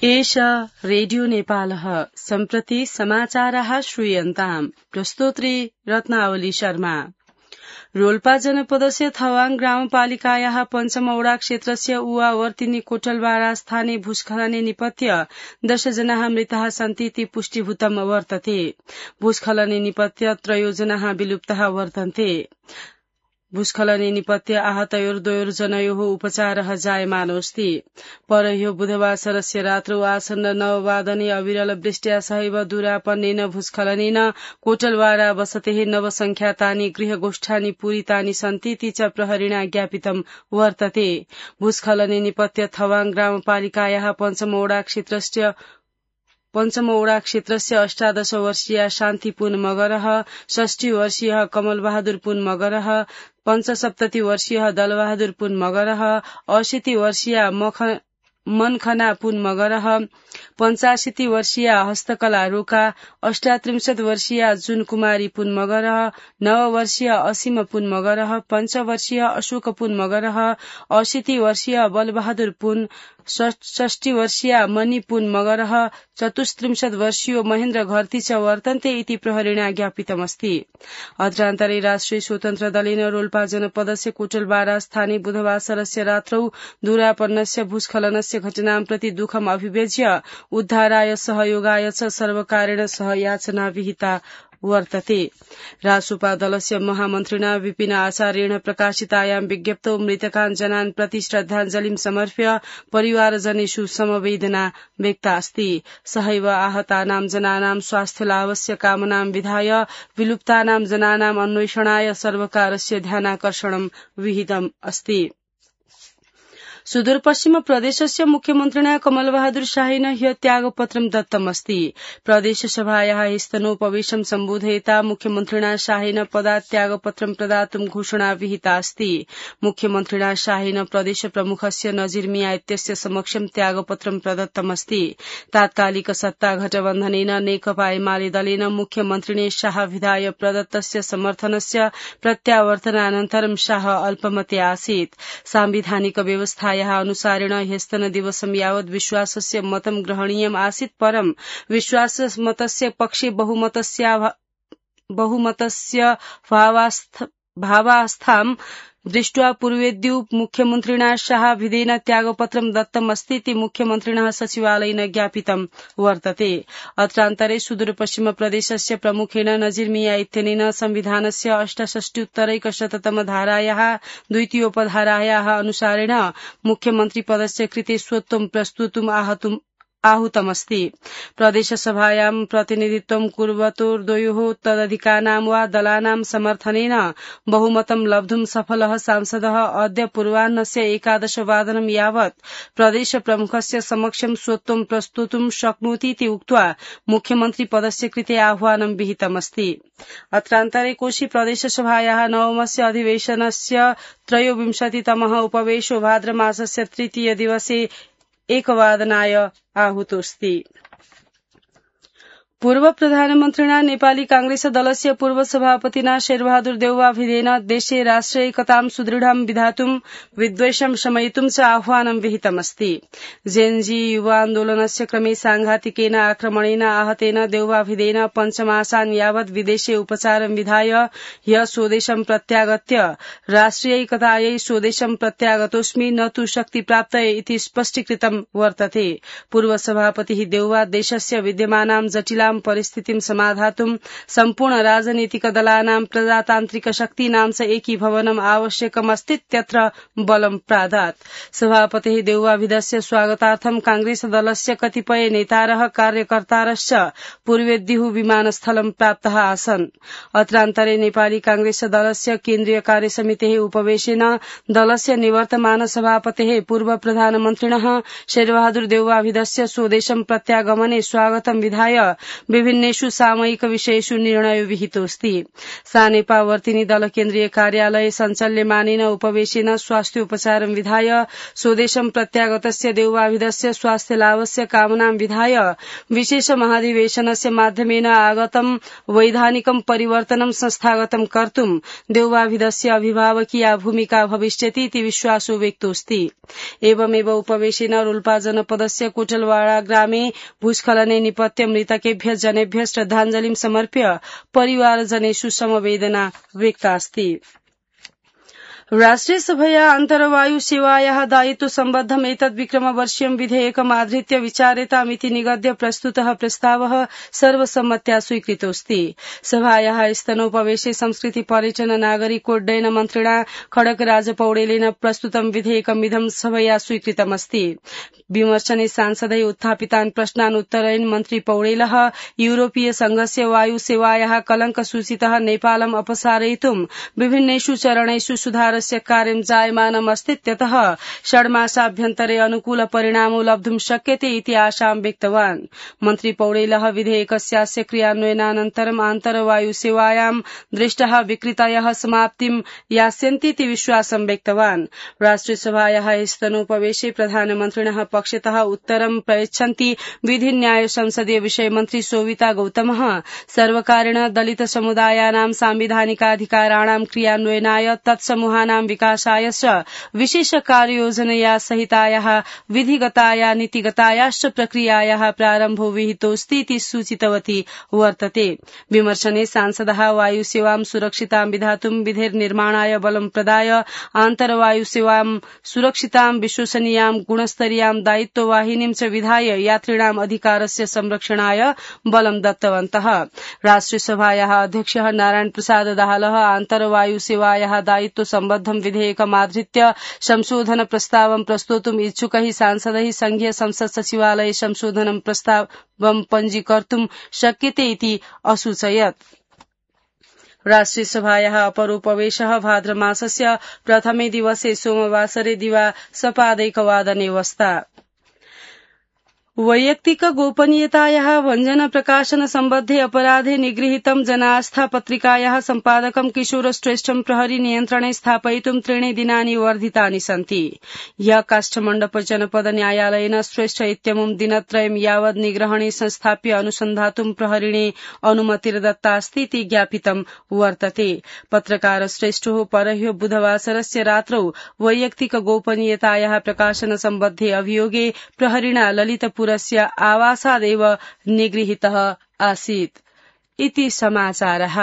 एष रेडियो नेपालः सम्प्रति समाचाराः श्रूयन्ताम् प्रस्तोत्री रत्नावली शर्मा। रोल्पा जनपदस्य थवाङ ग्रामपालिकायाः पञ्चमौडा क्षेत्रस्य उवावर्तिनी कोटलवाडा स्थाने भूस्खलने निपत्य 10 जनाः मृताः सन्ति इति पुष्टिभूतम् वर्तते। भूस्खलने निपत्य 3 जनाः विलुप्ताः वर्तन्ते। भूस्खलने निपत्य आहतयोर्द्वयोर्जनयोः उपचारः जायमानोऽस्ति। परह्यो बुधवार सरस्य रात्रौ आसन्न 9 वादने अविरल वृष्ट्या सहैव दूरापन्नेन भूस्खलनेन कोटलवाडा वसतेः नवसंख्यातानि गृहगोष्ठानि पूरितानि सन्ति इति च प्रहरिणा ज्ञापितं वर्तते। भूस्खलने निपत्य थवाङ ग्रामपालिकायाः पञ्चमौडा क्षेत्रस्य 18 वर्षीया शान्ति पुन मगरः, 60 वर्षीय कमलबहादुर पुन मगरः, 75 वर्षीय दलबहादुर पुन मगरः, 80 वर्षीय मनखना पुन मगरः, 85 वर्षीय हस्तकला रोका, 38 वर्षीय जुन कुमारी पुन मगरः, 9 वर्षीय असीम पुन मगरः, 5 वर्षीय अशोक पुन मगरः, 80 वर्षीय बलबहादुर पुन, 60 वर्षीय मणि पुन मगरः, 34 वर्षीयो महेन्द्र घरती च वर्तन्ते इति प्रहरिणा ज्ञापितमस्ति। अत्रान्तरे राष्ट्रिय स्वतन्त्र दलेन रोल्पा जनपदस्य कोटलवाडा स्थाने बुधवार सरस्य रात्रौ दूरापन्नस्य भूस्खलनस्य घटनां प्रति दुःखम् अभिव्यज्य उद्धाराय सहयोगाय च सर्वकारेण सह याचना विहिता वर्तते। रासुपा दलस्य महामन्त्रिणा विपिन आचार्येण प्रकाशितायां विज्ञप्तौ मृतकान् जनान् प्रति श्रद्धाञ्जलिं समर्प्य परिवारजनेषु समवेदना व्यक्ता अस्ति। सहैव आहतानां जनानां स्वास्थ्यलाभस्य कामनां विधाय विलुप्तानां जनानाम् अन्वेषणाय सर्वकारस्य ध्यानाकर्षणं विहितम् अस्ति। सुदूरपश्चिम प्रदेशस्य मुख्यमन्त्रिणा कमलबहादुर शाहेन ह्य त्यागपत्रं दत्तमस्ति। प्रदेशसभायाः स्तनोपवेशं सम्बोधयिता मुख्यमन्त्रिणा शाहेन पदात्यागपत्रं प्रदातुं घोषणा विहिता अस्ति। मुख्यमन्त्रिणा शाहेन प्रदेश प्रमुखस्य नजीर मिया इत्यस्य समक्षं त्यागपत्रं प्रदत्तमस्ति। तात्कालिक सत्ता गठबन्धनेन नेकपा एमाले दलेन मुख्यमन्त्रिणे शाह विधाय प्रदत्तस्य समर्थनस्य प्रत्यावर्तनानन्तरं शाह अल्पमते आसीत्। सांविधानिक व्यवस्था अनुसारेण ह्यस्तन दिवसं यावत् विश्वासस्य मतं ग्रहणीयम् आसीत् परं विश्वासमतस्य पक्षे बहुमतस्य भावास्थां दृष्ट्वा पूर्वेद्यु मुख्यमन्त्रिणा शाह विधेन त्यागपत्रं दत्तमस्ति इति मुख्यमन्त्रिणः सचिवालयेन ज्ञापितं वर्तते। अत्रान्तरे सुदूरपश्चिम प्रदेशस्य प्रमुखेन नजीर मिया इत्यनेन संविधानस्य 68 धारायाः द्वितीयोपधारायाः अनुसारेण मुख्यमन्त्री पदस्य कृते स्वत्वं प्रस्तुतुम् आहूतमस्ति। प्रदेशसभायां प्रतिनिधित्वं कुर्वतोर्द्वयोः तदधिकानां वा दलानां समर्थनेन बहुमतं लब्धुं सफलः सांसदः अद्य पूर्वाह्नस्य 11 वादनं यावत् प्रदेश प्रमुखस्य समक्षं स्वत्वं प्रस्तुतुं शक्नोति इति उक्त्वा मुख्यमन्त्री पदस्य कृते आह्वानं विहितमस्ति। अत्रान्तरे कोशी प्रदेशसभायाः नवमस्य अधिवेशनस्य 23तमः उपवेशो भाद्रमासस्य 3 दिवसे 1 वादनाय आहूतोऽस्ति। पूर्व प्रधानमन्त्रिणा नेपाली कांग्रेस दलस्य पूर्व सभापतिना शेरबहादुर देउवा भिदेन देशे राष्ट्रिय एकतां सुदृढं विधातुं विद्वेषं शमयितुं च आह्वानं विहितमस्ति। जेएनजी युवा आन्दोलनस्य क्रमे साङ्घातिकेन आक्रमणेन आहतेन देउवा भिदेन 5 मासान् यावत् विदेशे उपचारं विधाय ह्य स्वदेशं प्रत्यागत्य राष्ट्रिय एकतायै स्वदेशं प्रत्यागतोऽस्मि न तु शक्ति प्राप्तये इति स्पष्टीकृतं वर्तते। पूर्व सभापतिः देउवा देशस्य विद्यमानां जटिला परिस्थितिं समाधातुं सम्पूर्ण राजनीतिक दलानां प्रजातान्त्रिक शक्तीनां च एकीभवनम् आवश्यकमस्तीत्यत्र बलं प्रादात्। सभापतिः देउवाभिधस्य स्वागतार्थं कांग्रेस दलस्य कतिपय नेतारः कार्यकर्तारश्च पूर्वेद्युः विमानस्थलं प्राप्ताः आसन्। अत्रान्तरे नेपाली कांग्रेस दलस्य केन्द्रीय कार्यसमितेः उपवेशेन दलस्य निवर्तमान सभापतेः पूर्व प्रधानमन्त्रिणः शेरबहादुर देउवाभिधस्य स्वदेशं प्रत्यागमने स्वागतं विधाय विभिन्नेषु सामयिक विषयेषु निर्णयो विहितोऽस्ति। सानेपावर्तिनी दल केन्द्रीय कार्यालय सञ्चाल्यमानेन उपवेशेन स्वास्थ्य उपचारं विधाय स्वदेशं प्रत्यागतस्य देववाभिधस्य स्वास्थ्य लाभस्य कामनां विधाय विशेष महाधिवेशनस्य माध्यमेन आगतं वैधानिकं परिवर्तनं संस्थागतं कर्तुं देववाभिधस्य अभिभावकीया भूमिका भविष्यति इति विश्वासो व्यक्तोऽस्ति। एवमेव उपवेशेन रोल्पा जनपदस्य कोटलवाड़ा ग्रामे भूस्खलने निपत्य मृतकेभ्य जनेभ्य श्रद्धाञ्जलिं समर्प्य परिवारजनेषु समवेदना व्यक्तास्ति। राष्ट्रियसभया अन्तर्वायु सेवायाः दायित्व सम्बद्धम् एतद्विक्रमवर्षीयं विधेयकमाधृत्य विचार्यतामिति निगद्य प्रस्तुतः प्रस्तावः सर्वसम्मत्या स्वीकृतोऽस्ति। सभायाः स्तनोपवेशे संस्कृति पर्यटन नागरिकोड्डयन मन्त्रिणा खड्गराज पौडेलेन प्रस्तुतं विधेयकमिदं सभया स्वीकृतमस्ति। विमर्शने सांसदै उत्थापितान् प्रश्नान् उत्तरयन् मन्त्री पौडेलः यूरोपीय संघस्य वायु सेवायाः कलंकसूचितः नेपालम् अपसारयितुं विभिन्नेषु चरणेषु सुधारस्य कार्यं जायमानमस्तीत्यतः षड्मासाभ्यन्तरे अनुकूल परिणामो लब्धुं शक्यते इति आशां व्यक्तवान्। मन्त्री पौडेलः विधेयकस्यास्य क्रियान्वयनानन्तरम् आन्तर्वायु सेवायां दृष्टाः विकृतयः समाप्तिं यास्यन्तीति विश्वासं व्यक्तवान्। राष्ट्रियसभायाः स्तनोपवेशे प्रधानमन्त्रिणः पक्षतः उत्तरं प्रयच्छन्ति विधि न्याय संसदीय विषय मन्त्री सोविता गौतमः सर्वकारेण दलित समुदायानां सांविधानिकाधिकाराणां क्रियान्वयनाय तत्समूहानां विकासाय च विशेष कार्ययोजनया सहितायाः विधिगताया नीतिगतायाश्च प्रक्रियायाः प्रारम्भो विहितोऽस्ति इति सूचितवती वर्तते। विमर्शने सांसदः वायुसेवां सुरक्षितां विधातुं विधिर्निर्माणाय बलं प्रदाय आन्तर्वायुसेवां सुरक्षितां विश्वसनीयां गुणस्तरीयां दायित्ववाहिनीं च विधाय यात्रिणाम् अधिकारस्य संरक्षणाय बलं दत्तवन्तः। राष्ट्रियसभायाः अध्यक्षः नारायण प्रसाद दाहालः आन्तर्वायुसेवायाः दायित्व सम्बद्धं विधेयकमाधृत्य संशोधन प्रस्तावं प्रस्तोतुम् इच्छुकैः सांसदैः संघीय संसद सचिवालये संशोधनं प्रस्तावं पञ्जीकर्तुं शक्यते इति असूचयत्। राष्ट्रियसभायाः अपरोपवेशः भाद्रमासस्य प्रथमे दिवसे सोमवासरे दिवा सपादैकवादने वस्ता। वैयक्तिक गोपनीयतायाः भञ्जन प्रकाशन सम्बद्धे अपराधे निगृहीतं जनास्था पत्रिकायाः सम्पादकं किशोर श्रेष्ठं प्रहरी नियन्त्रणे स्थापयितुं 3 दिनानि वर्धितानि सन्ति। ह्यः काष्ठमण्डप जनपद न्यायालयेन श्रेष्ठ इत्यमुं दिनत्रयं यावत् निग्रहणे संस्थाप्य अनुसन्धातुं प्रहरिणे अनुमतिर्दत्तास्ति इति ज्ञापितं वर्तते। पत्रकार श्रेष्ठो परह्यो बुधवासरस्य रात्रौ वैयक्तिक गोपनीयतायाः प्रकाशन सम्बद्धे अभियोगे प्रहरिणा ललितपुर आवासादेव निगृहीतः आसीत् इति समाचारः।